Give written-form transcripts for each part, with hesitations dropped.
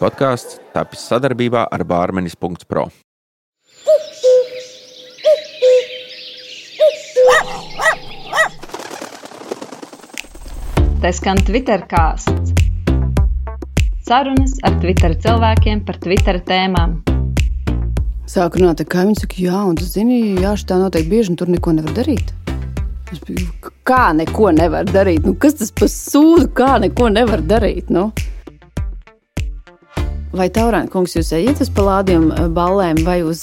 Podkāsts tapis sadarbībā ar Bārmenis.pro. Te skan Twitter kāsts. Sarunas ar Twitter cilvēkiem par Twitter tēmām. Sāku runāt, kā viņi saka, jā, un tu zini, jā, šitā notiek bieži, un tur neko nevar darīt. Es biju, kā neko nevar darīt? Nu, kas tas par sūdu, kā neko nevar darīt, nu? Vai Taurāna kungs, jūs ejat uz palādiem ballēm vai uz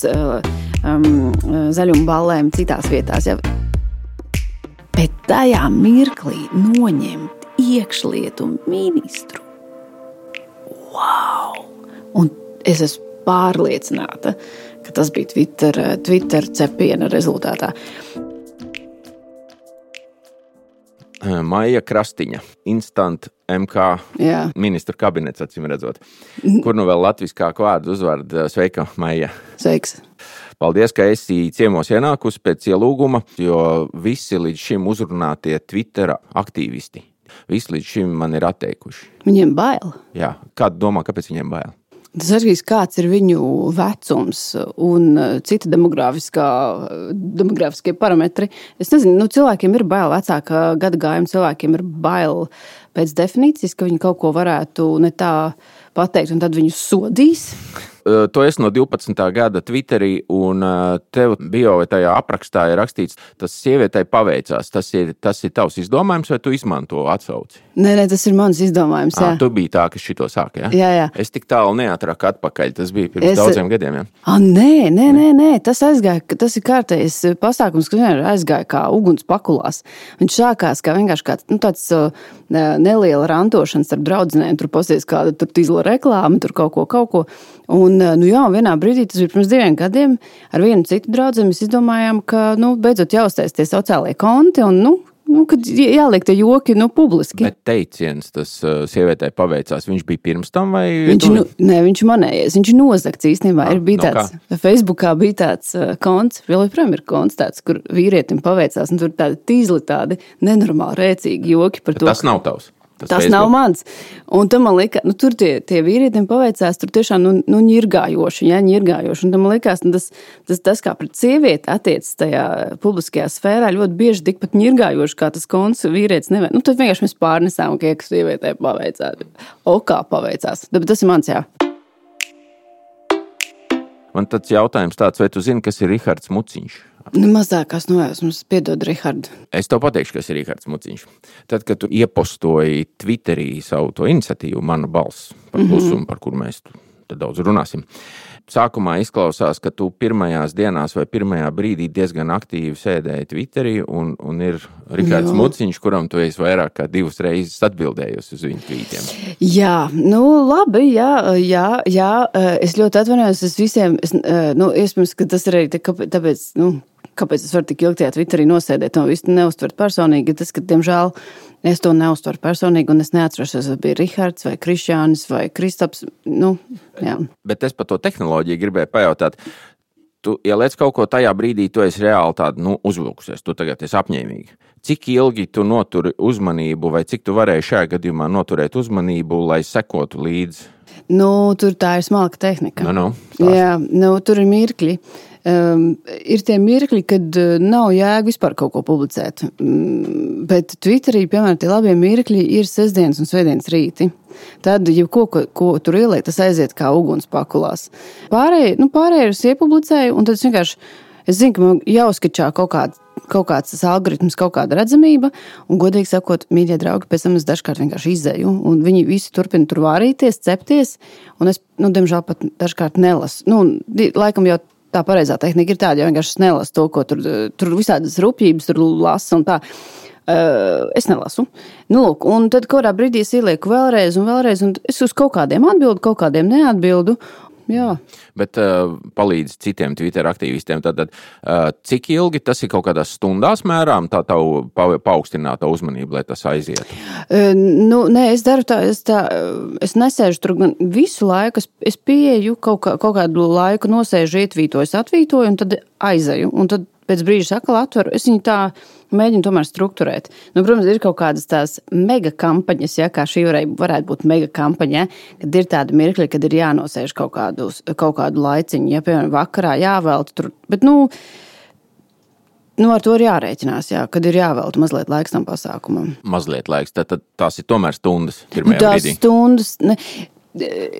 zaļumu ballēm citās vietās? Ja? Bet tajā mirklī noņemt iekšlietu ministru. Wow! Un es esmu pārliecināta, ka tas bija Twitter cepiena rezultātā. Maija Krastiņa, Instant MK ministru kabinets, acīm redzot. Kur nu vēl latviskāku vārdu uzvārdu? Sveika, Maija. Sveiks. Paldies, ka esi ciemos ienākusi pēc ielūguma, jo visi līdz šim uzrunātie Twitter aktīvisti, visi līdz šim man ir atteikuši. Viņiem bail? Jā, kādu domā, kāpēc viņiem bail? Tas arī kāds ir viņu vecums un citi demogrāfiskie parametri. Es nezinu, cilvēkiem ir bail, vecāka gada gājuma cilvēkiem ir bail pēc definīcijas, ka viņi kaut ko varētu ne tā pateikt, un tad viņus sodīs. To es no 12. gada Twitterī, un tev bio vai tajā aprakstā ir rakstīts, tas sievietei paveicās. Tas ir tavs izdomājums, vai tu izmanto atsauci? Nē, tas ir mans izdomājums, jā. Tu biji tā, kas šito sāka, jā? Jā. Es tik tālu neatraku atpakaļ, tas bija pirms daudziem gadiem, jā? Nē, tas aizgāja, tas ir kārtējs pasākums, kas vienmēr aizgāja kā uguns pakulās. Viņš sākās kā vienkārši tāds neliela rantošana starp draudzenēm, tur posies kāda tur tīzla reklāma, tur kaut ko. Un vienā brīdī, tas bija pirms 2 gadiem, ar vienu citu draudzeni mēs izdomājām, ka, beidzot jāuztais tie sociālie konti un, kad jāliek tie joki, publiski. Bet teiciens, tas sievietei paveicās, viņš bija pirms tam vai? Viņš manējies, viņš ir nozagts īstenībā. Facebookā bija tāds konts, joprojām ir konts tāds, kur vīrietim paveicās, un tur tādi tīzli, tādi nenormāli rēcīgi joki par to. Tas nav tavs. Tas nav mans. Un tam man liekas, tur tie vīrietim paveicās, tur tiešām ņirgājoši. Un tam man liekas, tas kā pret sievieti attiecas tajā publiskajā sfērā ļoti bieži tikpat ņirgājoši, kā tas konts vīrietis nevar. Tad vienkārši mēs pārnesām, ka sievietē paveicās. Kā paveicās. Bet tas ir mans, jā. Man tāds jautājums tāds, vai tu zini, kas ir Rihards Muciņš? Mazākās nojausmas, piedod, Rihardu. Es tev pateikšu, kas ir Rihards Muciņš. Tad, kad tu iepostoji Twitterī savu to iniciatīvu, Mana balss par klusumu, par kuru mēs tad daudz runāsim. Sākumā izklausās, ka tu pirmajās dienās vai pirmajā brīdī diezgan aktīvi sēdēji Twitterī un ir Rihards Muciņš, kuram tu esi vairāk kā 2 reizes atbildējusi uz viņu tvītiem. Jā, labi, jā. Es ļoti atvainojos, iespējams, ka tas ir arī tāpēc, kāpēc es varu tik ilgi tajā Twitterī nosēdēt un visu neuztvert personīgi, tas, ka, diemžēl, es to neuztveru personīgi, un es neatceros, vai bija Rihards vai Krišjānis vai Kristaps, jā. Bet es par to tehnoloģiju gribēju pajautāt. Tu, ja liec kaut ko tajā brīdī, tu esi reāli tādu, uzvilkusies, tu tagad esi apņēmīgi. Cik ilgi tu noturi uzmanību, vai cik tu varēji šajā gadījumā noturēt uzmanību, lai sekotu līdzi? Tur tā ir smalka tehnika. Jā, tur ir mirkļi. Ir tie mirkļi, kad nav jēga vispār kaut ko publicēt. Bet Twitterī, piemēram, tie labie mirkļi ir sestdienas un svētdienas rīti. Tad, ja ko tur ieliek, tas aiziet kā uguns pakulās. Pārējie es iepublicēju, un tad es zinu, ka man jāuzskačā kaut kāds tas algoritms, kaut kāda redzamība, un godīgi sakot, mīļie draugi, pēc tam es dažkārt vienkārši izēju, un viņi visi turpina tur vārīties, cepties, un es, diemžēl pat dažkārt nelasu. Laikam jau tā pareizā tehnika ir tāda, jo vienkārši nelasu to, ko tur visādas rupjības tur lasa un tā. Es nelasu. Un tad kādā brīdī es ielieku vēlreiz, un es uz kaut kādiem atbildu, kaut kādiem neatbildu. Jā. Bet palīdz citiem Twitter aktīvistiem. Tātad, cik ilgi tas ir kaut kādās stundās mērām, tā tavu paaugstināta uzmanība, lai tas aizietu? Nē, es daru tā, es nesēžu tur gan visu laiku, es pieeju kaut kādu laiku, nosēžu, ietvītoju, atvītoju, un tad aizeju. Un tad pēc brīža atkal atveru, es viņu tā mēģinu tomēr strukturēt. Nu, protams, ir kaut kādas tās mega kampaņas, ja, kā šī varētu būt mega kampaņa, kad ir tāda mirkļa, kad ir jānosēž kaut kādu laiciņu, ja, piemēram, vakarā jāvelta tur, bet, ar to ir jārēķinās, jā, kad ir jāvelta mazliet laiks tam pasākumam. Mazliet laiks, tad tās ir tomēr stundas pirmajā brīdī. Stundas,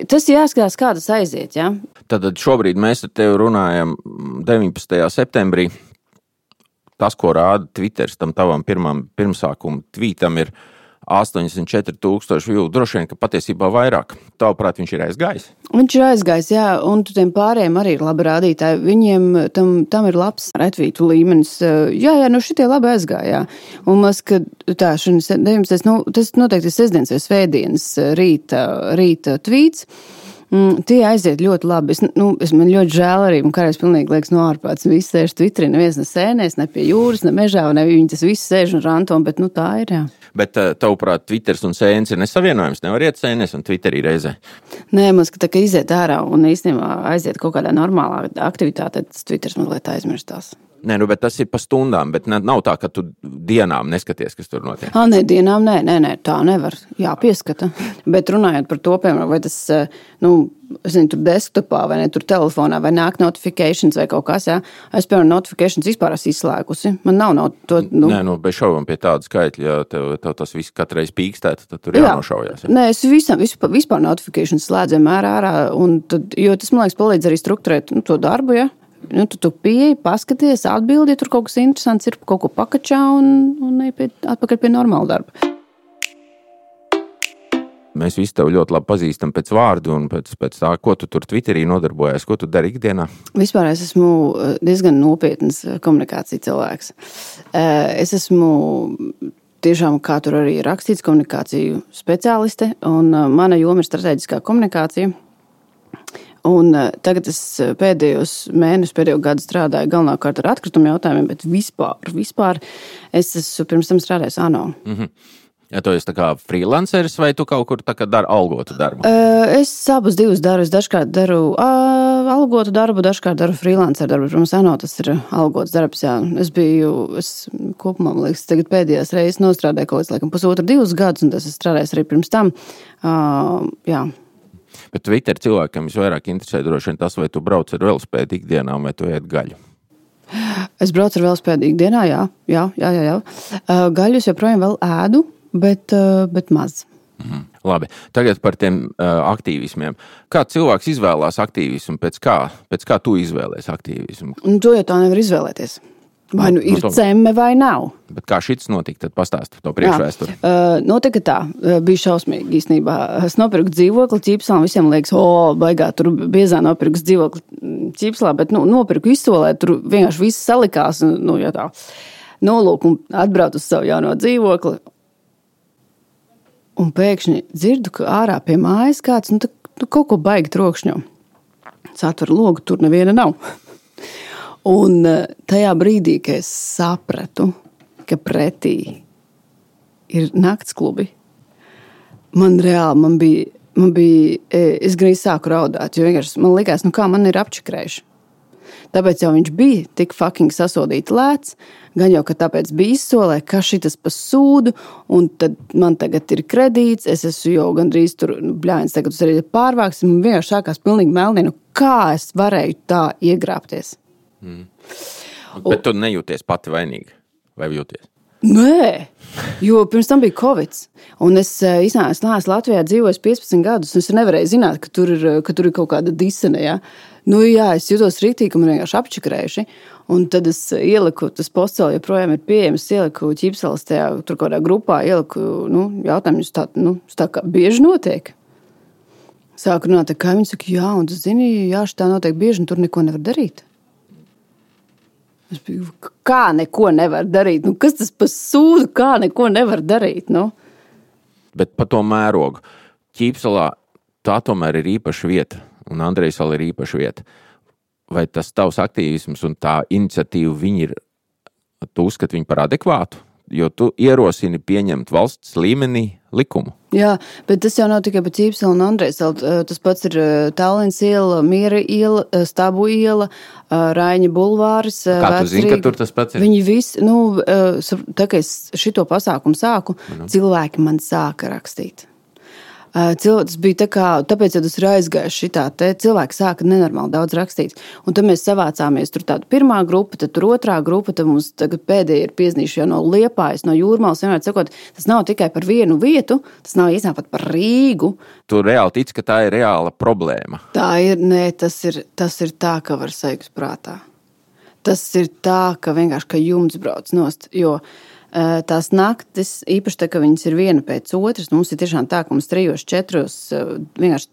tas jāskatās, kā tas aiziet, jā. Tad šobrīd mēs ar tevi runājam 19. septembrī. Tas, ko rāda Twitteris tam tavam pirmsākuma tvītam, ir 84,000 view, droši vien, ka patiesībā vairāk. Tavuprāt, viņš ir aizgājis? Viņš ir aizgājis, jā, un tiem pārējiem arī ir labi rādītāji. Viņiem tam ir labs retvītu līmenis. Jā, šitie labi aizgāja, jā. Un mēs, ka tā, šodien 19. Tas noteikti ir sestdienas vai svētdienas rīta tvīts. Tie aiziet ļoti labi. Man ļoti žēl arī, un kādreiz pilnīgi liekas ārprāts. Visi sēž Twitterī, neviens ne sēnēs, ne pie jūras, ne mežā, ne viņi tas visi sēž un ranto, bet tā ir, jā. Bet tavuprāt, Twitters un sēnes ir nesavienojams, nevar iet sēnes un Twitterī reizē? Nē, mums, ka tā kā iziet ārā un īstenībā aiziet kaut kādā normālā aktivitātē, tas Twitters mazliet aizmirstās. Nē, bet tas ir pa stundām, bet nav tā, ka tu dienām neskaties, kas tur notiek. Nē, dienām nē, tā nevar, jāpieskata. Bet runājot par to, piemēram, vai tas, tur desktopā vai ne, tur telefonā, vai nāk notifications vai kaut kas, jā. Es, piemēram, notifications vispār esmu izslēgusi. Man nav to, Nē, bez šaubām pie tāda skaitļa, ja tev tas viss katreiz pīkstēt, tad tur jānošaujās. Jā. Nē, es vispār notifications slēdzu vienmēr ārā, un tad, jo tas, man liekas, palīdz arī strukturēt to darbu, ja. Tu pieeji, paskaties, atbildi, ja tur kaut kas interesants ir, kaut ko pakačā un atpakaļ pie normāla darba. Mēs visi tev ļoti labi pazīstam pēc vārdu un pēc tā, ko tu tur Twitterī nodarbojies, ko tu dari ikdienā? Vispār es esmu diezgan nopietns komunikācija cilvēks. Es esmu tiešām, kā tur arī rakstīts, komunikāciju speciāliste, un mana joma ir strateģiskā komunikācija. Un tagad es pēdējo gadu strādāju galvenokārt ar atkritumu jautājumiem, bet vispār es esmu pirms tam strādājis ANO. Mm-hmm. Ja tu esi tā kā freelanceris vai tu kaut kur tā kā dari algotu darbu? Es abus divus daru. Es dažkārt daru algotu darbu, dažkārt daru freelancer darbu. Protams, ANO tas ir algots darbs, jā. Es kopumā, man liekas, tagad pēdējās reizes nostrādāju kaut kāds, 1,5–2 gadus, un tas es strādājis arī pirms tam. Jā. Bet Twitter cilvēkam visvairāk interesē droši vien tas, vai tu brauc ar velospēdu ikdienā, vai tu ēd gaļu? Es braucu ar velospēdu ikdienā, jā. Gaļu es joprojām vēl ēdu, bet maz. Labi, tagad par tiem aktīvismiem. Kā cilvēks izvēlās aktīvismu, pēc kā tu izvēlēs aktīvismu? To jau tā nevar izvēlēties. Vai ir cemme vai nav. Bet kā šits notika, tad pastāsti to priekšvēsturi. Notika tā, bija šausmīgi īstenībā. Es nopirku dzīvokli Ķīpslā, visiem liekas, baigā, tur biezā nopirku dzīvokli Ķīpslā, bet nopirku izsolē, tur vienkārši viss salikās, ja tā. Nolūk un atbrauc uz savu jauno dzīvokli. Un pēkšņi dzirdu, ka ārā pie mājas kāds, kaut ko baigi trokšņo. Es atveru logu, tur neviena nav. Un tajā brīdī, kad es sapratu, ka pretī ir naktsklubi, man bija, es gan sāku raudāt, jo vienkārši man likās, kā man ir apčakrējuši. Tāpēc jau viņš bija tik fucking sasodīti lēts, gan jau, ka tāpēc bija izsolē, ka šitas pa sūdu, un tad man tagad ir kredīts, es esmu jau gandrīz tur, bļāņas, tagad uz arī pārvāks, un vienkārši sākās pilnīgi melnī, kā es varēju tā iegrāpties. Bet tu nejūties pati vainīgi, vai jūties? Nē, jo pirms tam bija Covid, un es neesmu Latvijā dzīvojis 15 gadus, un es nevarēju zināt, ka tur ir kaut kāda disene, ja? Es jūtos rīktīgi, ka man vienkārši apčakrējuši, un tad es ieliku, tas posts vēl joprojām ir pieejams, ieliku Ķīpseles tajā, tur kādā grupā, jautājumus tā kā bieži notiek. Sāku runāt, kā viņi saka, un tu zini, šitā notiek bieži, un tur neko nevar darīt. Es biju, kā neko nevar darīt? Kas tas pa sūdu, kā neko nevar darīt? Bet pa to mērogu. Ķīpselā tā tomēr ir īpaša vieta, un Andrejsalā ir īpaša vieta. Vai tas tavs aktīvisms un tā iniciatīva, tu uzskati viņu par adekvātu jo tu ierosini pieņemt valsts līmenī likumu. Jā, bet tas jau nav tikai pa Ķīpseli un Andrejseli. Tas pats ir Tallinas iela, Miera iela, Stabu iela, Raiņa bulvāris. Kā tu zini, ka tur tas pats ir? Viņi visi, tā kā es šito pasākumu sāku, cilvēki man sāka rakstīt. Tas bija tāpēc, ja tas ir aizgājis šitā, cilvēki sāka nenormāli daudz rakstīt. Un tad mēs savācāmies, tur tāda pirmā grupa, tad tur otrā grupa, tad mums tagad pēdējie ir piezīmījuši jau no Liepājas, no Jūrmalas, vienmēr sakot, tas nav tikai par vienu vietu, tas nav īstenībā pat par Rīgu. Tu reāli tici, ka tā ir reāla problēma? Tā ir, tas ir tā, ka var sajūgt prātā. Tas ir tā, ka vienkārši, ka jumts brauc nost, jo tās naktis, īpaši tā, ka viņas ir viena pēc otras, mums ir tiešām tā, ka mums 3-4 vienkārši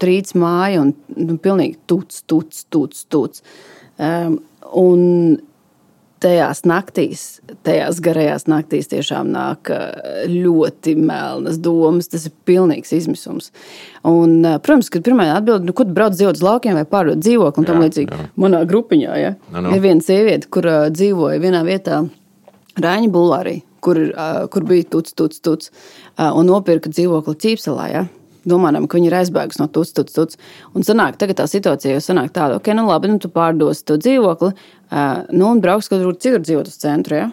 trīc māja un pilnīgi tuc. Un tajās naktīs, tajās garajās naktīs tiešām nāk ļoti melnas domas, tas ir pilnīgs izmisums. Un, protams, kad pirmajā atbildi, ko tu brauc dzīvot uz laukiem vai pārdot dzīvokli, un tam līdzīgi manā grupiņā, ja? Ir viena sieviete, kur dzīvoja vienā vietā, Raiņa bulvārī, kur bija tuc, un nopirka dzīvokli Ķīpselā, ja? Domājam, ka viņi ir aizbēgus no tuc. Un sanāk, tagad tā situācija jau sanāk tāda, ok, labi, tu pārdosi to dzīvokli, un brauks kaut kur citur dzīvot uz centru, ja?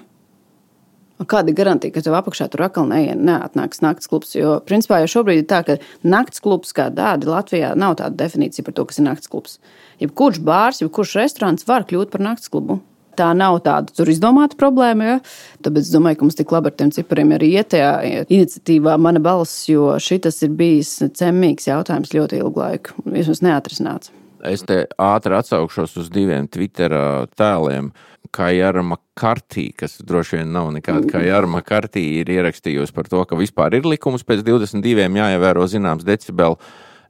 Kāda ir garantija, ka tev apakšā tur atkal neatnāks nakts klubs? Jo, principā, jau šobrīd ir tā, ka nakts klubs kā tādi Latvijā nav tāda definīcija par to, kas ir nakts klubs. Jebkurš bārs, jebkurš restorāns var kļūt par nakts klubu. Tā nav tāda tur izdomāta problēma, ja? Tāpēc es domāju, ka mums tik labi ar tiem cipariem arī iet tajā iniciatīvā Mana balss, jo šitas ir bijis cemmīgs jautājums ļoti ilgu laiku. Vismaz neatrisināts. Es te ātri atsaukšos uz 2 Twitter tēliem. Kajara Makartī, kas droši vien nav nekāda Kajara Makartī, ir ierakstījusi par to, ka vispār ir likums pēc 22 jāievēro zināms decibelu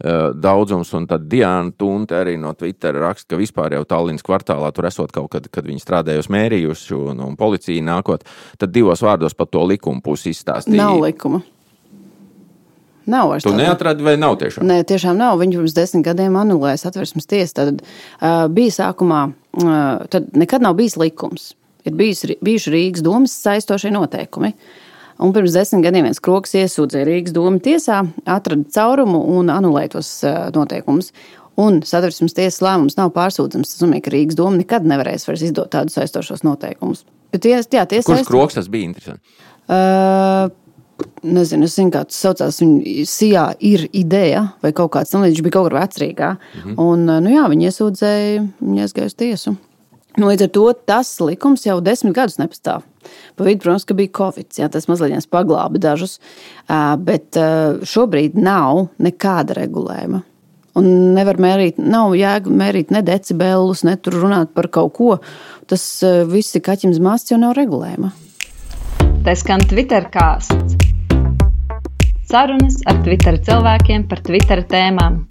daudzums, un tad Diana Tunte arī no Twitter raksta, ka vispār jau Tallinas kvartālā tur esot kaut kad viņi strādājusi mērījuši un policija nākot, tad 2 vārdos par to likumu pusi izstāstīja. Nav likuma. Nav vairs. Tu neatradi vai nav tiešām? Nē, tiešām nav. Viņi pirms 10 gadiem anulēja Satversmes tiesa. Tad bija sākumā, tad nekad nav bijis likums. Ir bijuši Rīgas domas saistošie noteikumi. Un pirms 10 gadiem viens kroks iesūdzēja Rīgas domu tiesā, atrada caurumu un anulēja tos noteikumus. Un Satversmes tiesas lēmums nav pārsūdzams. Tas nozīmē, ka Rīgas doma nekad nevarēs vairs izdot tādus saistošos noteikumus. Bet kurš kroks tas bija interesanti? Nezinu, es zinu, kā tas saucās. Sijā ir ideja vai kaut kāds tam līdz, viņš bija kaut kur vecrīgā. Un, viņi iesūdzēja, viņi aizgāja uz tiesu. Līdz ar to tas likums jau 10 gadus nepastāv. Pa vidu, protams, ka bija Covid, jā, tas mazliet paglāba dažus, bet šobrīd nav nekāda regulējuma. Un nevar mērīt, nav jēga mērīt ne decibelus, ne tur runāt par kaut ko. Tas viss ir kaķim zmasts, jo nav regulējuma. Te skan Twitter kāsts. Sarunas ar Twitter cilvēkiem par Twitter tēmām.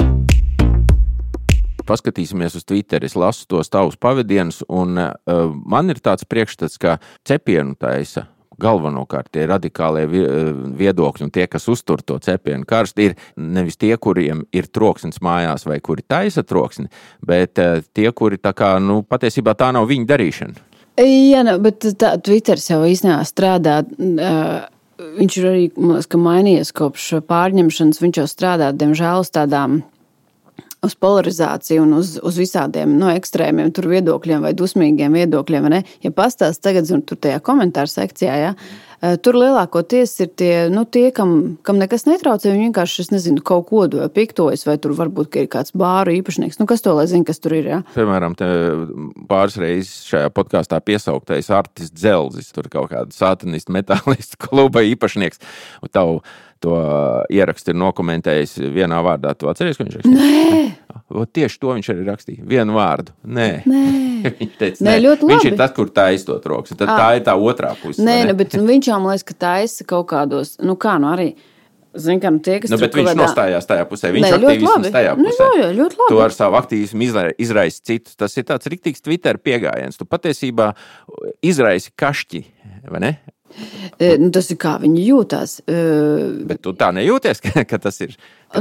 Paskatīsimies uz Twitter, es lasu tos tavus pavadienus, un man ir tāds priekšstats, ka cepienu taisa galvenokārt tie radikālie viedokļi un tie, kas uztur to cepienu karstu, ir nevis tie, kuriem ir troksnis mājās vai kuri taisa troksni, bet tie, kuri tā kā, patiesībā tā nav viņa darīšana. Jā, bet Twitters jau īstenībā strādā, viņš ir arī, man liekas, ka mainījies kopš pārņemšanas, viņš jau strādā, diemžēl, uz tādām uz polarizāciju un uz visādiem ekstrēmiem tur viedokļiem vai dusmīgiem viedokļiem. Vai ne? Ja pastāst tagad tur tajā komentāru sekcijā, ja, tur lielākoties ir tie kam nekas netraucē, viņi vienkārši, es nezinu, kaut ko piktojas, vai tur varbūt, ka ir kāds bāru īpašnieks. Kas to lai zina, kas tur ir, ja? Piemēram, te pāris reizes šajā podkāstā piesauktais Artis Dzelzis, tur kaut kāda satanistu metālistu kluba īpašnieks, un tavu to ierakstu ir nokomentējis vienā vārdā. Tu atceries, ko viņš rakstīja? Nē! Tieši to viņš arī rakstīja. Vienu vārdu. Nē. Viņš teica, nē. Ļoti labi. Viņš ir tas, kur taisa to troksni. Tad tā ir tā otrā puse. Nē, bet viņš jau, man liekas, ka taisa kaut kādos, arī, zin, kā, tie, kas bet viņš nostājās tajā pusē. Viņš aktīvisms tajā pusē. Ļoti labi. Tu ar savu aktīvismu izraisi citus. Tas ir tāds riktīgs Twitter pieejams. Tu patiesībā izraisi kašķi, vai ne? Tas ir kā viņi jūtās. Bet tu tā nejūties, ka tas ir, ka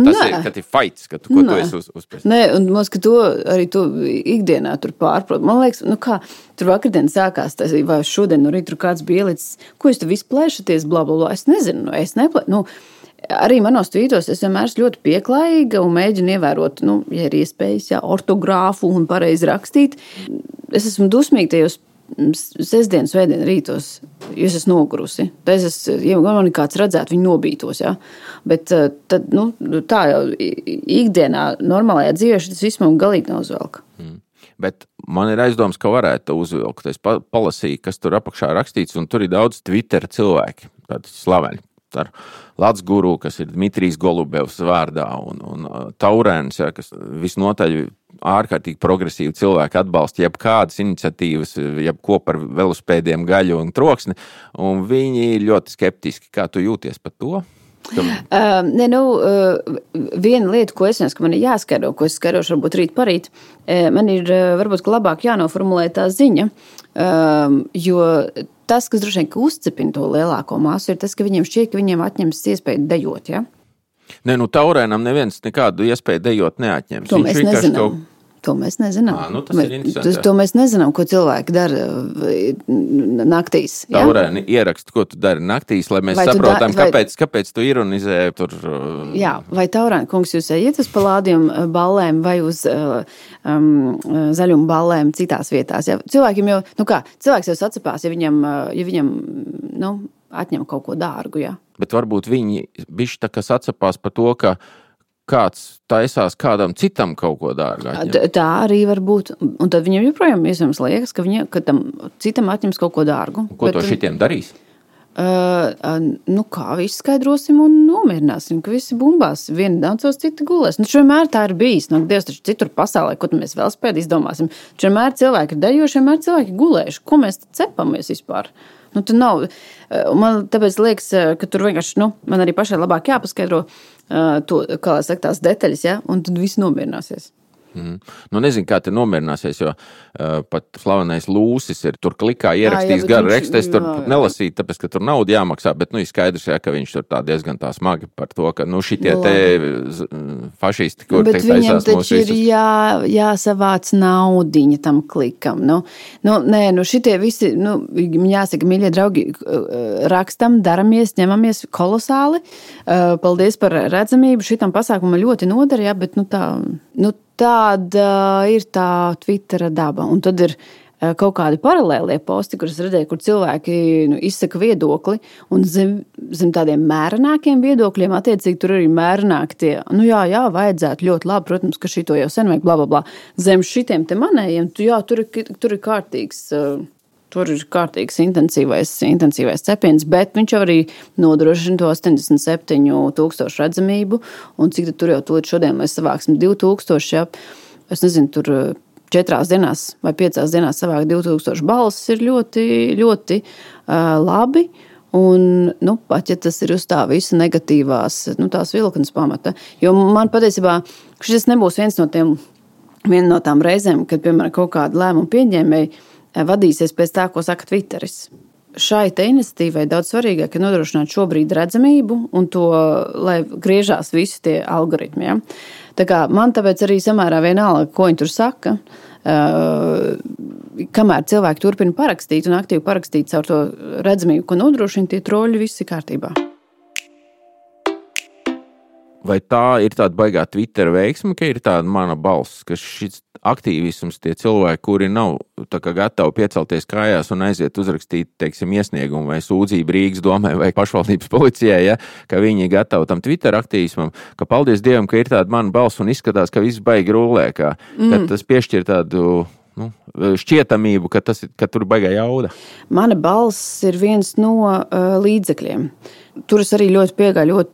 ir fights, ka tu esi uzspērs? Nē, un mums, ka to arī tu ikdienā tur pārprot. Man liekas, tur vakardien sākās, vai šodien no rīta tur kāds bija ielicis, ko jūs tu visu plēšaties, bla, bla, bla. Es nezinu, arī manos tvītos es vienmēr esmu ļoti pieklājīga un mēģinu ievērot, ja ir iespējas, ortogrāfu un pareizi rakstīt. Es esmu dusmīga tajos sestdien, svētdien rītos, jo es esmu nogurusi. Ja man kāds redzētu, viņi nobītos, jā. Bet tad, tā jau ikdienā, normālajā dzīvē šis viss man galīgi nav uzvelka. Bet man ir aizdoms, ka varētu uzvilkt. Es palasīju, kas tur apakšā rakstīts, un tur ir daudz Twitter cilvēki, tādi slaveni. Ar Lats Guru, kas ir Dmitrijs Golubevs vārdā, un Taurēns, kas visnotaļ ārkārtīgi progresīvi cilvēki atbalsta jebkādas iniciatīvas, jebko par velospēdiem, gaļu un troksni, un viņi ļoti skeptiski. Kā tu jūties par to? Viena lieta, ko es nezinu, ka man ir jāskaidro, ko es skaidrošu varbūt rīt parīt, man ir varbūt labāk jānoformulē tā ziņa, jo tas, kas droši vien uzcepina to lielāko masu, ir tas, ka viņiem šķiet, ka viņiem atņems iespēju dejot, ja? Nē, Taurēnam neviens nekādu iespēju dejot neatņems. To mēs nezinām. To mēs nezinām. Tas ir interesanti. To mēs nezinām, ko cilvēki dara naktīs. Ja? Taurēni ierakstu, ko tu dari naktīs, lai mēs saprotam, kāpēc tu ironizē tur. Jā, vai Taurēni kungs jūs ejat uz palādiem ballēm vai uz zaļumu ballēm citās vietās? Ja? Cilvēkiem jau, cilvēks jau sacapās, ja viņam atņem kaut ko dārgu, ja? Bet varbūt viņi bišķi tā kā sacapās par to, ka kāds taisās kādam citam kaut ko dārgu atņemt. Tā arī var būt. Un tad viņam joprojām iespējams liekas, ka tam citam atņems kaut ko dārgu. Ko to šitiem darīs? Kā visu skaidrosim un nomierināsim, ka visi bumbās, vieni daudzos, citi gulēs. Vienmēr tā ir bijis. Dievs taču citur pasaulē, ko mēs vēl spēd izdomāsim. Vienmēr cilvēki ir dejoši, vienmēr cilvēki gulējuši. Ko mēs cepamies vispār? Tu nav. Man tāpēc liekas, ka tur vienkārši, man arī pašai labāk jāpaskaidro to, kā lai saka, tās detaļas, ja? Un tad viss nomierināsies. Nezinu, kā te nomierināsies, jo pat slavenais Lūsis ir tur klikā ierakstījis garu rekstu. Es tur nelasīju, tāpēc, ka tur nauda jāmaksā, bet ir skaidrs, ka viņš tur tā diezgan tā smagi par to, ka šitie te fašisti, kur bet viņam taču ir jāsavāc naudiņa tam klikam. Šitie visi, jāsaka, mīļie draugi, rakstam, daramies, ņemamies kolosāli. Paldies par redzamību. Šitam pasākumam ļoti noder, ja, bet tāda ir tā Twittera daba. Un tad ir kaut kādi paralēlie posti, kurus redzēju, kur cilvēki izsaka viedokli, un zem tādiem mērenākiem viedokļiem, attiecīgi tur arī mērenāki tie, vajadzētu ļoti labi, protams, ka šito jau sen vajag, bla, bla, bla. Zem šitiem te manējiem, tur ir kārtīgs. Tur ir kārtīgs intensīvais cepiens, bet viņš arī nodrošina to 87,000 redzamību, un cik tur jau šodien mēs savāksim 2,000, ja? Es nezinu, tur 4 dienās vai 5 dienās savāk 2,000 balsis ir ļoti, ļoti labi, un, pat ja tas ir uz tā visa negatīvās, tās vilknes pamata, jo man patiesībā šis nebūs viena no tām reizēm, kad, piemēram, kaut kāda lēmuma pieņēmēji vadīsies pēc tā, ko saka Twitteris. Šai te iniciatīvai daudz svarīgāk ir nodrošināt šobrīd redzamību un to, lai griežās visi tie algoritmi. Ja? Tā kā man tāpēc arī samērā vienalga, ko viņi tur saka, kamēr cilvēki turpina parakstīt un aktīvi parakstīt caur to redzamību, ko nodrošina, tie troļi visi kārtībā. Vai tā ir tāda baigā Twitter veiksme, ka ir tāda mana balss, ka šis aktīvisms, tie cilvēki, kuri nav tā kā gatavi piecelties kājās un aiziet uzrakstīt, teiksim, iesniegumu vai sūdzību Rīgas domai vai pašvaldības policijai, ja, ka viņi ir gatavi tam Twitter aktīvismam, ka paldies Dievam, ka ir tāda mana balss un izskatās, ka viss baigi rulē, ka tas piešķir tādu šķietamību, ka tur baigā jauda. Mana balss ir viens no līdzekļiem. Tur es arī ļoti piegāju,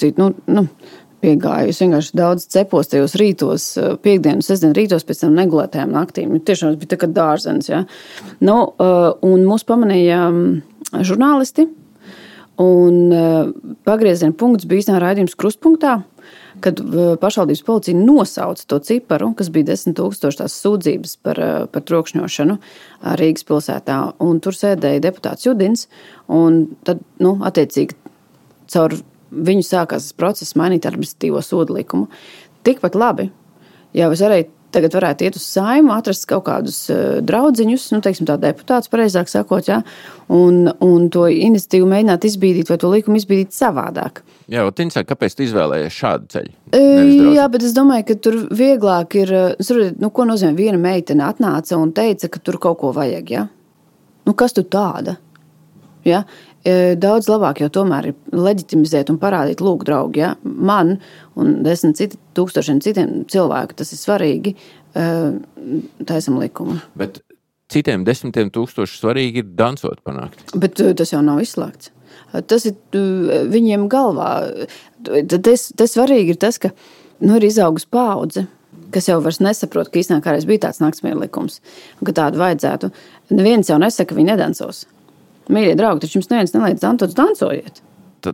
piegāju. Es vienkārši daudz cepos tajos rītos, piekdienu, sestdienu rītos pēc tam negulētajām naktīm. Tiešām bija tā kā dārzens, ja. Un mūs pamanīja žurnālisti, un pagrieziena punkts bija īstenībā raidījums Krustpunktā, kad pašvaldības policija nosauca to ciparu, kas bija 10 000 tās sūdzības par trokšņošanu Rīgas pilsētā, un tur sēdēja deputāts Judins, un tad, attiecīgi, caur viņu sākās process mainīt administratīvo sodu likumu. Tikpat labi, jau es tagad varētu iet uz Saimu, atrast kaut kādus draudziņus, teiksim tā deputāts, pareizāk sakot, jā, un to iniciatīvu mēģināt izbīdīt vai to likumu izbīdīt savādāk. Jā, Tinsā, kāpēc tu izvēlējies šādu ceļu? Jā, bet es domāju, ka tur vieglāk ir, ko nozīmē viena meitene atnāca un teica, ka tur kaut ko vajag, jā? Kas tu tāda? Jā? Daudz labāk jau tomēr ir leģitimizēt un parādīt, lūk, draugi, ja? Man un 10 000 citiem cilvēku tas ir svarīgi, taisam likumu. Bet citiem 10 000 svarīgi ir dansot panākt. Bet tas jau nav izslēgts. Tas ir viņiem galvā. Tas svarīgi ir tas, ka ir izaugus paudze, kas jau vairs nesaprot, ka īstenībā kādreiz bija tāds naktsmieru likums, un ka tādu vajadzētu. Neviens jau nesaka, ka viņi nedansos. Mīļie draugi, taču jums neviens neliedz dancojiet.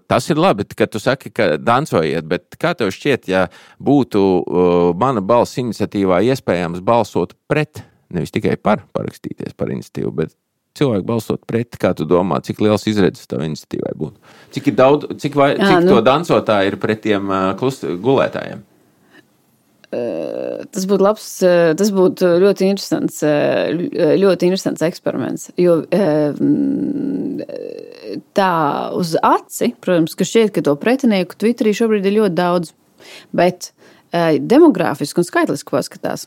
Tas ir labi, ka tu saki, ka dancojiet, bet kā tev šķiet, ja būtu mana balss iniciatīvā iespējams balsot pret, nevis tikai parakstīties par iniciatīvu, bet cilvēku balsot pret, kā tu domā, cik liels izredzes tev iniciatīvai būtu? Cik to dancotāji ir pret tiem gulētājiem? Tas būtu labs, tas būtu ļoti interesants eksperiments, jo tā uz aci, protams, ka šķiet, ka to pretinieku Twitterī šobrīd ir ļoti daudz, bet demogrāfiski un skaitliski paskatās.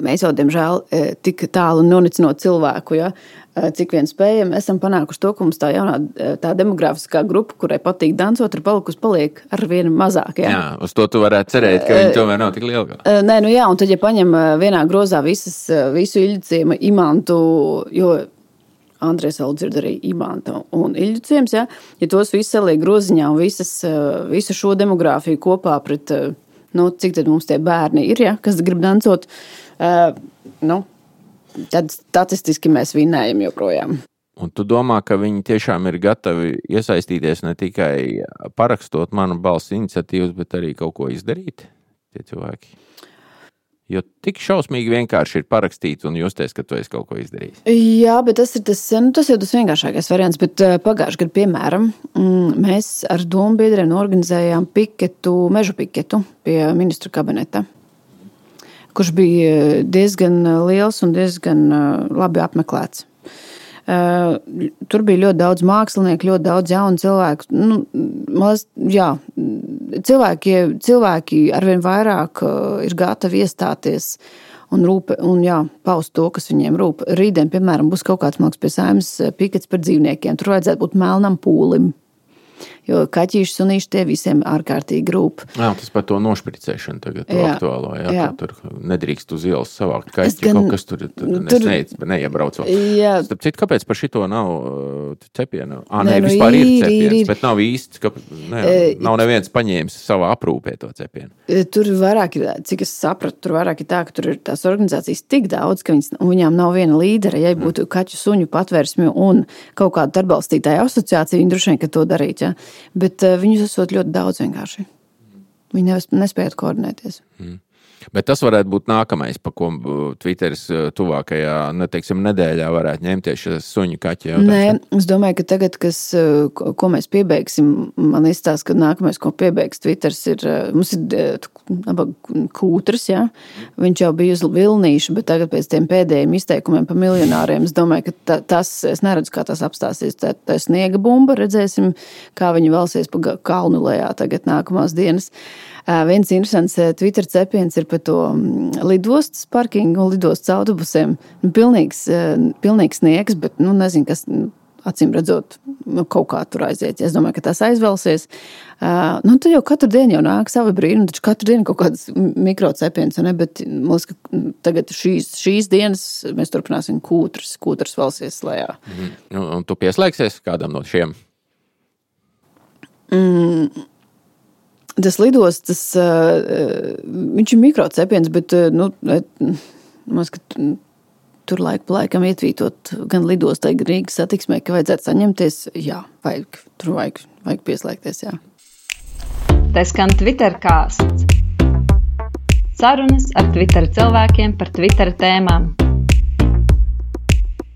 Mēs jau, diemžēl, tik tālu nonicinot cilvēku, ja, cik vien spējam, esam panākuši to, ka mums tā jaunā tā demografiskā grupa, kurai patīk dancot, paliek ar vienu mazāk. Ja. Jā, uz to tu varētu cerēt, ka viņi tomēr nav tik liela. Nē, jā, un tad, ja paņem vienā grozā visu Iļģiciema imantu, jo Andrejs vēl dzird arī imanta un Iļģiciems, ja tos visus saliek groziņā un visu šo demogrāfiju kopā pret cik tad mums tie bērni ir, ja, kas grib dancot, tad statistiski mēs vinnējam joprojām. Un tu domā, ka viņi tiešām ir gatavi iesaistīties ne tikai parakstot manu balss iniciatīvas, bet arī kaut ko izdarīt, tie cilvēki? Jo tik šausmīgi vienkārši ir parakstīt un justies, ka tu esi kaut ko izdarījis. Jā, bet tas jau tas vienkāršākais variants, bet pagājušajā gadā, piemēram, mēs ar domu biedriem organizējām mežu piketu pie ministru kabineta, kurš bija diezgan liels un diezgan labi apmeklēts. Tur bija ļoti daudz mākslinieku, ļoti daudz jaunu cilvēku. Cilvēki arvien vairāk ir gatavi iestāties un paust to, kas viņiem rūp. Rītdien, piemēram, būs kaut kāds pie Saeimas pikets par dzīvniekiem. Tur vajadzētu būt melnam pūlim. Jo kaķīši, sunīši tie visiem ārkārtīgi rūp. Jā, tas par to nošpricēšanu tagad aktuālo. Jā. Tur nedrīkst uz ielas savākt kaķi, kaut kas tur neiebrauc vēl. Starp citu, kāpēc par šito nav cepienu? Vispār ir cepiens, bet nav īsti, nav neviens paņēmis savā aprūpē to cepienu. Tur vairāk ir, cik es sapratu, tur vairāk ir tā, ka tur ir tās organizācijas tik daudz, ka viņām nav viena līdera. Ja būtu kaķu suņu patvērsmi un kaut kāda atbalstītāja asociācija, viņi droši vien, ka to darīt. Ja? Bet viņus esot ļoti daudz vienkārši. Viņi nespējot koordinēties. Bet tas varētu būt nākamais, pa ko Twitteris tuvākajā, nedēļā varētu ņemties šis suņu kaķi jautājums. Nē, es domāju, ka tagad, ko mēs piebeigsim, man izstāsta, ka nākamais, ko piebeigs Twitteris mums ir Kūtrs, ja? Viņš jau bija uz Vilnīšu, bet tagad pēc tiem pēdējiem izteikumiem par miljonāriem, es domāju, ka es neredzu, kā tas apstāsies. Tā sniega bumba, redzēsim, kā viņi valsies pa kalnu lejā tagad nākamās dienas. Viens interesants Twitter cepiens ir par to lidostas parkingu un lidostas autobusiem. Pilnīgs sniegs, bet nezinu, kas acīm redzot kaut kā tur aiziet. Es domāju, ka tas aizvelsies. Tad jau katru dienu jau nāk savi brīnumi, taču katru dienu kaut kāds mikrocepiens, bet man liekas, ka tagad šīs dienas mēs turpināsim Kūtrs valsies lejā. Un tu pieslēgsies kādam no šiem? Tas lidostas, viņš ir mikrocepiens, bet tur laiku pa laikam ietvītot gan lidostai, gan Rīgas satiksmē, ka vajadzētu saņemties. Jā, vajag pieslēgties, jā. Te skan Twitter kāsts. Sarunas ar Twitter cilvēkiem par Twitter tēmām.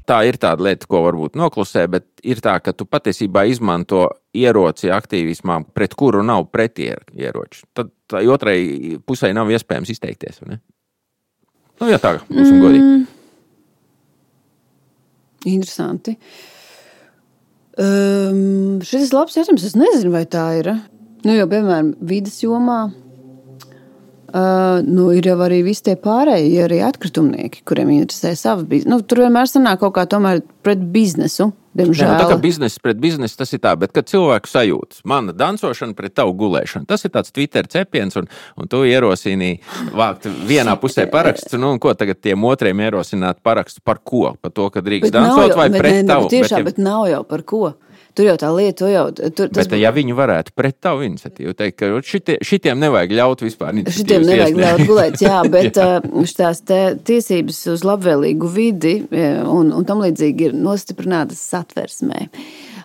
Tā ir tāda lieta, ko varbūt noklusē, bet ir tā, ka tu patiesībā izmanto ieroci aktīvismā, pret kuru nav pretieroči. Tad tā otrai pusē nav iespējams izteikties, vai ne? Nu, ja tā, būsim godīgi. Interesanti. Šis labs jautājums, es nezinu, vai tā ir. Nu, jo, piemēram, vides jomā ir jau arī visi tie pārējie, arī atkritumnieki, kuriem interesē savu biznesu. Nu, tur vienmēr sanāk kaut kā tomēr pret biznesu, diemžēl. Tā kā bizness pret biznesu, tas ir tā, bet kad cilvēku sajūtas, mana dancošana pret tavu gulēšanu, tas ir tāds Twitter cepiens, un tu ierosini vākt vienā pusē paraksts, un ko tagad tiem otriem ierosināt parakstu par ko? Par to, ka drīkst dancot vai pret tavu? Tiešām, bet nav jau par ko. Tur jau tā lieta, bet ja viņi varētu pret tavu iniciatīvu teikt, ka šitiem nevajag ļaut vispār iniciatīvas šitiem nevajag ļaut gulēt, jā, bet šitās tiesības uz labvēlīgu vidi un tam līdzīgi ir nostiprinātas satversmē.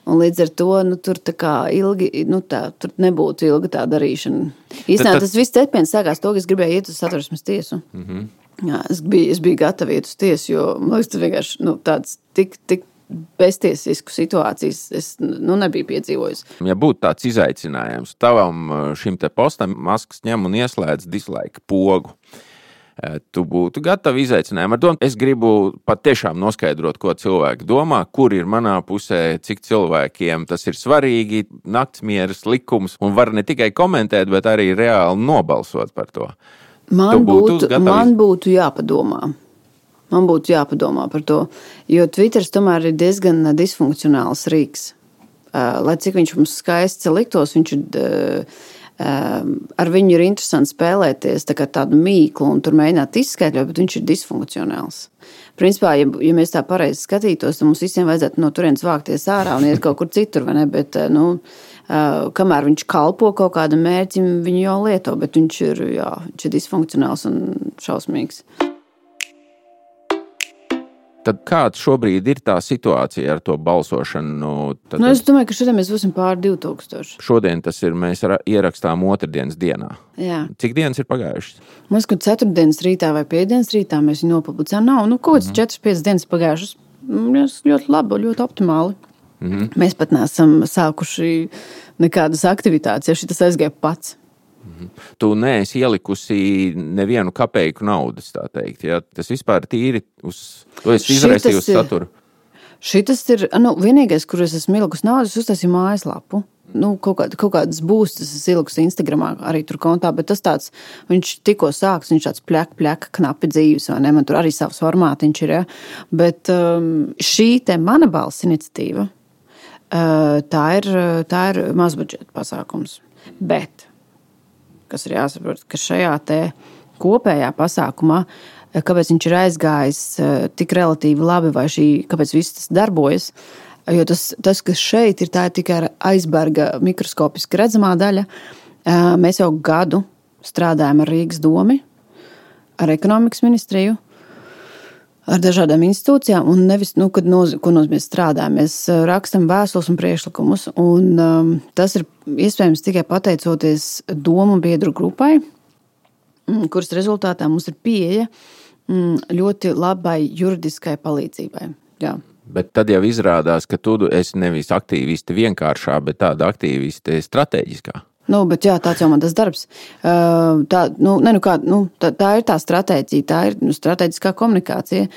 Un līdz ar to, tur tā kā ilgi, tur nebūtu ilga tā darīšana. Īstenībā tas viss cepiens sākās to, ka es gribēju iet uz satversmes tiesu. Jā, es biju gatava iet uz tiesu, jo, man liekas, tas vienkārši, tāds tik beztiesisku situācijas es nebiju piedzīvojis. Ja būtu tāds izaicinājums, tavam šim te postam Masks ņem un ieslēdz dislike pogu, tu būtu gatavi izaicinājumu. Ar to es gribu pat tiešām noskaidrot, ko cilvēki domā, kur ir manā pusē, cik cilvēkiem tas ir svarīgi, naktsmieras likums, un var ne tikai komentēt, bet arī reāli nobalsot par to. Man būtu jāpadomā. Man būtu jāpadomā par to, jo Twitters tomēr ir diezgan disfunkcionāls rīks. Lai cik viņš mums skaists liktos, viņš ir, ar viņu ir interesanti spēlēties tā kā tādu mīklu un tur mēģināt izskaidrot, bet viņš ir disfunkcionāls. Principā, ja mēs tā pareizi skatītos, tad mums visiem vajadzētu no turienes vākties ārā un iet kaut kur citur, vai ne? Bet, kamēr viņš kalpo kaut kādam mērķim, viņu jau lieto, bet viņš ir disfunkcionāls un šausmīgs. Tad kāda šobrīd ir tā situācija ar to balsošanu? Es domāju, ka šodien mēs būsim pār 2000. Šodien tas ir, mēs ierakstām otrdienas dienā. Jā. Cik dienas ir pagājušas? Mums, kad ceturtdienas rītā vai piekdienas rītā mēs viņu nopublicējām, nav, kaut kāds 4-5 dienas pagājušas. Ļoti labi, ļoti optimāli. Mēs pat neesam sākuši nekādas aktivitātes, ja šitas aizgāja pats. Tu neesi ielikusi nevienu kapeiku naudas, tā teikt. Ja? Tas vispār tīri tu esi izraisījusi saturu. Šitas ir, vienīgais, kur es esmu ielikusi naudas, uztaisīju mājaslapu. Kaut kādas būstas es ielikusi Instagramā arī tur kontā, bet tas tāds, viņš tikko sāks, viņš tāds pļaka, knapi dzīves, vai ne? Man tur arī savs formātiņš ir, ja? Bet šī te mana balss iniciatīva, tā ir mazbudžeta pasākums. Bet kas ir jāsaprot, ka šajā te kopējā pasākumā, kāpēc viņš ir aizgājis tik relatīvi labi, vai kāpēc viss tas darbojas, jo tas kas šeit ir, tā ir tikai aizberga mikroskopiski redzamā daļa. Mēs jau gadu strādājam ar Rīgas domi, ar ekonomikas ministriju, ar dažādām institūcijām, un nevis, ko nozīmē strādājam. Mēs rakstam vēstules un priekšlikumus, un tas ir iespējams tikai pateicoties domu biedru grupai, kuras rezultātā mums ir pieeja ļoti labai juridiskai palīdzībai. Jā. Bet tad jau izrādās, ka tu esi nevis aktīvisti vienkāršā, bet tāda aktīvisti strateģiskā. Bet jā, tāds jau man tas darbs. Tā ir tā stratēģija, tā ir strateģiskā komunikācija,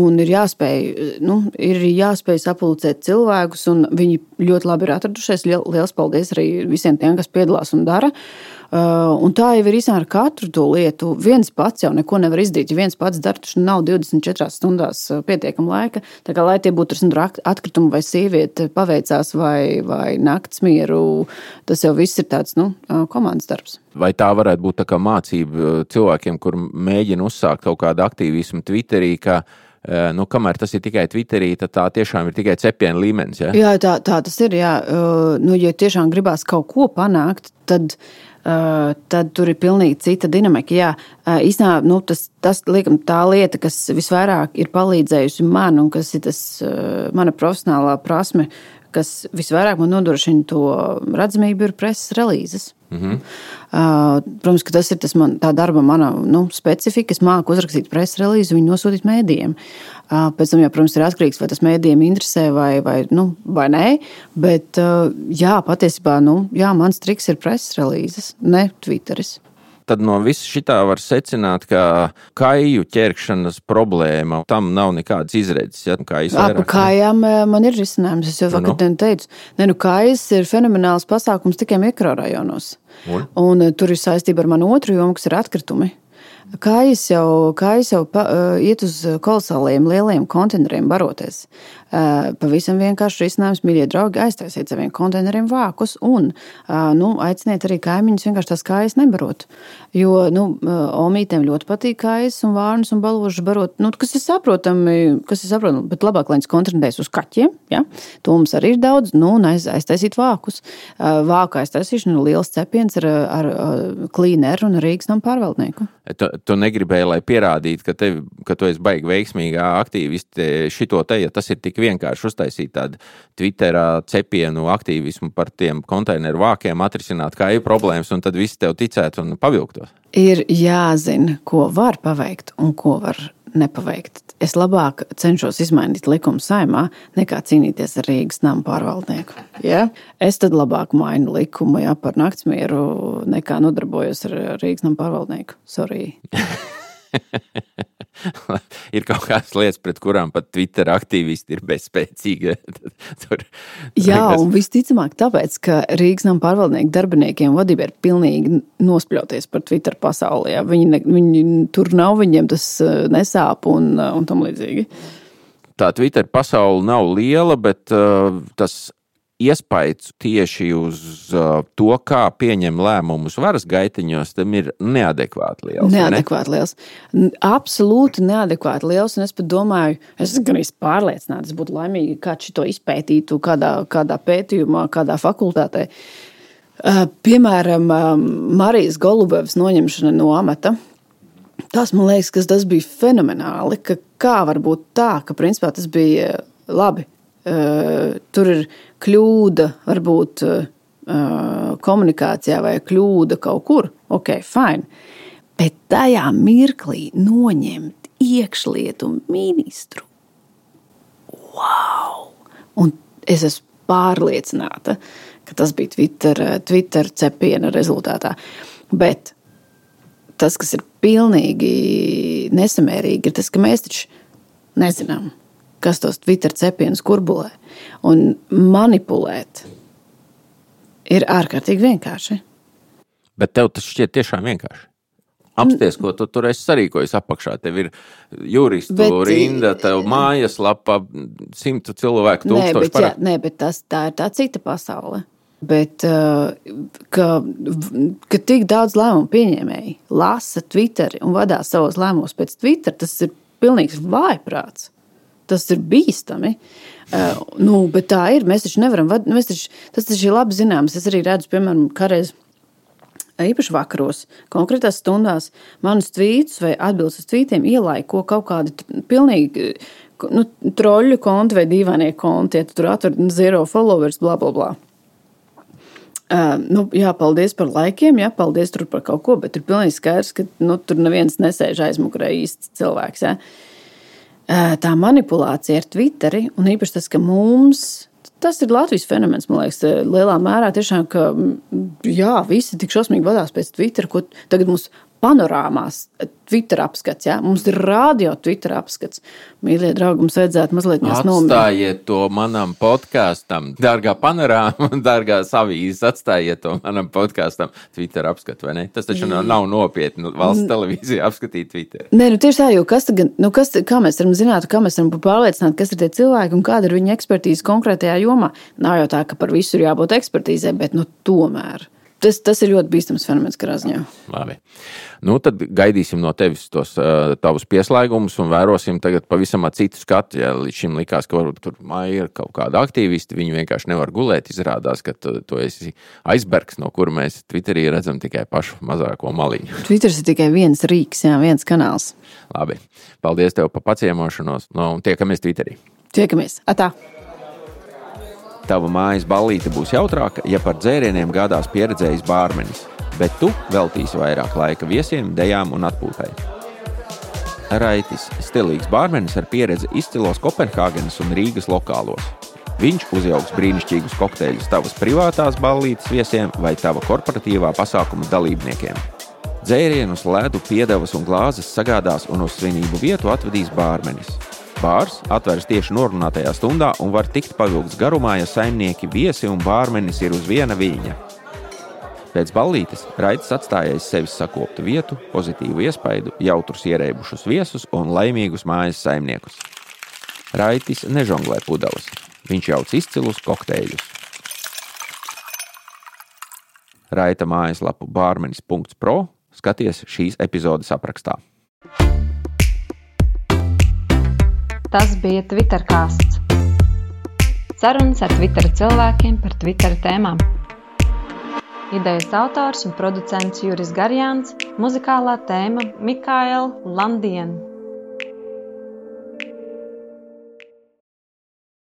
un ir jāspēj sapulcēt cilvēkus, un viņi ļoti labi ir atradušies. Liels paldies arī visiem tiem, kas piedalās un dara. Un tā jau ir īstenībā ar katru to lietu. Viens pats jau neko nevar izdarīt. Ja viens pats dara, taču nav 24 stundās pietiekama laika. Tā kā, lai tie būtu atkritumi vai sieviete paveicās vai naktsmieru, tas jau viss ir tāds, komandas darbs. Vai tā varētu būt tā kā mācība cilvēkiem, kur mēģina uzsākt kaut kādu aktīvismu Twitterī, ka kamēr tas ir tikai Twitterī, tad tā tiešām ir tikai cepiena līmenis, ja? Jā, tā tas ir, jā. Ja tiešām gribās kaut ko panākt, tad tur ir pilnīgi cita dinamika. Jā, īstenībā, tas liekam, tā lieta, kas visvairāk ir palīdzējusi man, un kas ir tas mana profesionālā prasme, kas visvairāk man nodrošina to redzamību, ir preses relīzes. Protams, ka tas ir tā darba mana specifika. Es māku uzrakstīt preses relīzi, viņu nosūtīt mēdījiem. Pēc tam, protams, ir atkarīgs, vai tas mēdījiem interesē vai nē. Bet, patiesībā, mans triks ir preses relīzes, ne Twitteris. Tad no visa šitā var secināt, ka kaju ķerkšanas problēma tam nav nekādas izredzes. Ja? Par kājām man ir risinājums. Es jau vakar teicu, kājas ir fenomenāls pasākums tikai mikrorajonos. Un tur ir saistība ar manu otru jomu, kas ir atkritumi. Kājas jau iet uz kolosāliem lieliem konteineriem baroties. Pavisam vienkārši risinājums, mīļie draugi, aiztaisiet saviem konteineriem vākus un aiciniet arī kaimiņus vienkārši tās kājas nebarot. Jo omītēm ļoti patīk kājas un vārnus un baložus barot, kas ir saprotami, bet labāk, lai viņas koncentrēs uz kaķiem. Ja? To mums arī ir daudz, un aiztaisīt vākus. Vāku aiztaisīšana ir liels cepiens ar klīneru un Rīgas namu pārvaldnieku. Tu negribēji, lai pierādītu, ka tu esi baigi veiksmīgā aktīvisti šito te, ja tas ir tik vienkārši uztaisīt tādu Twitterā cepienu aktīvismu par tiem konteineru vākiem, atrisināt kāju problēmas, un tad visi tev ticētu un pavilktos. Ir jāzina, ko var paveikt un ko var nepaveikt. Es labāk cenšos izmainīt likumu Saeimā, nekā cīnīties ar Rīgas namu pārvaldnieku. Ja? Es tad labāk mainu likumu par naktsmieru, nekā nodarbojos ar Rīgas namu pārvaldnieku. Sorry. Ir kaut kādas lietas, pret kurām pat Twitter aktīvisti ir bezspēcīgi. Jā, un visticamāk tāpēc, ka Rīgas namu pārvaldnieku darbiniekiem vadība ir pilnīgi nospļauties par Twitter pasaulē. Viņi tur nav, viņiem tas nesāp un tam līdzīgi. Tā Twitter pasaule nav liela, bet tas iespējas tieši uz to, kā pieņem lēmumus varas gaitiņos, tam ir neadekvāti liels. Neadekvāti liels. Absolūti neadekvāti liels, un es pat domāju, es gan pārliecināta, es būtu laimīga, kā šito izpētītu kādā pētījumā, kādā fakultātē. Piemēram, Marijas Golubevas noņemšana no amata. Tas, man liekas, ka tas bija fenomenāli, ka kā var būt tā, ka principā tas bija labi. Tur ir kļūda, varbūt komunikācijā vai kļūda kaut kur. Ok, fine. Bet tajā mirklī noņemt iekšlietu ministru. Wow! Un es esmu pārliecināta, ka tas bija Twitter cepiena rezultātā. Bet tas, kas ir pilnīgi nesamērīgi, ir tas, ka mēs taču nezinām, kas tos Twitter cepienus kurbulē. Un manipulēt ir ārkārtīgi vienkārši. Bet tev tas šķiet tiešām vienkārši. Apsties, ko tu tur esi sarīkojis apakšā. Tev ir juristu rinda, tev mājaslapa, 100 cilvēku, 1000 par... Nē, bet tā ir tā cita pasaule. Bet, ka tik daudz lēmumu pieņēmēji lasa Twitteri un vadās savos lēmumos pēc Twitter, tas ir pilnīgs vājprāts. Tas ir bīstami. Bet tā ir. Mēs taču nevaram tas taču ir labi zināms. Es arī redzu, piemēram, kādreiz īpaši vakaros, konkrētās stundās manus tvītus vai atbildes uz tvītiem ielaiko kaut kādi pilnīgi troļu konti vai dīvainie konti. Ja tu tur atver 0 followers, bla, bla, bla. Paldies par laikiem, paldies tur par kaut ko, bet ir pilnīgi skaidrs, ka tur neviens nesēž aizmugurē īsts cilvēks, Tā manipulācija ar Twitteri, un īpaši tas, ka tas ir Latvijas fenomens, man liekas, lielā mērā tiešām, ka visi tik šausmīgi vadās pēc Twitter, ko tagad mums panorāmās Twitter apskats, Mums ir radio Twitter apskats. Mīļie draugi, mums vajadzētu mazliet Atstājiet to manam podkastam, dārgā panorāma, dārgās avīzes, atstājiet to manam podkastam Twitter apskatu, vai ne? Tas taču nav nopietni valsts televīzija apskatīt Twitter. Nē, tiešā, jo kā mēs varam zināt, kā mēs varam pārliecināt, kas ir tie cilvēki un kāda ir viņa ekspertīze konkrētajā jomā. Nav jau tā, ka par visu ir jābūt ekspertīzē, bet tomēr. Tas ir ļoti bīstams fenomens katrā ziņā. Labi. Tad gaidīsim no tevis tos tavus pieslēgumus un vērosim tagad pavisam citu skatu. Ja līdz šim likās, ka varbūt tur māja ir kaut kāda aktīvisti, viņi vienkārši nevar gulēt. Izrādās, ka tu esi aizbergs, no kura mēs Twitterī redzam tikai pašu mazāko maliņu. Twitters ir tikai viens rīks, viens kanāls. Labi. Paldies tev par paciemošanos. Un tiekamies Twitterī. Tiekamies. Atā. Tava mājas ballīte būs jautrāka, ja par dzērieniem gādās pieredzējis bārmenis. bet tu veltīsi vairāk laika viesiem, dejām un atpūtai. Raitis – stilīgs bārmenis ar pieredzi izcilos Kopenhāgenes un Rīgas lokālos. Viņš uzjauks brīnišķīgus kokteļus tavas privātās ballītes viesiem vai tava korporatīvā pasākuma dalībniekiem. Dzērienus, ledu, piedevas un glāzes sagādās un uz svinību vietu atvedīs bārmenis. Bārs atveras tieši norunātajā stundā un var tikt pavilgts garumā, ja saimnieki, viesi un bārmenis ir uz viena viļņa. Pēc ballītes Raitis atstājais sevis sakoptu vietu, pozitīvu iespaidu, jautrus ierēbušus viesus un laimīgus mājas saimniekus. Raitis nežonglē pudeles. Viņš jauc izcilus kokteļus. Raita mājaslapu bārmenis.pro skaties šīs epizodes aprakstā. Tas bija Twittercasts. Sarunas ar Twitter cilvēkiem par Twitter tēmām. Idejas autors un producents Juris Garjāns, muzikālā tēma Mikaela Landien.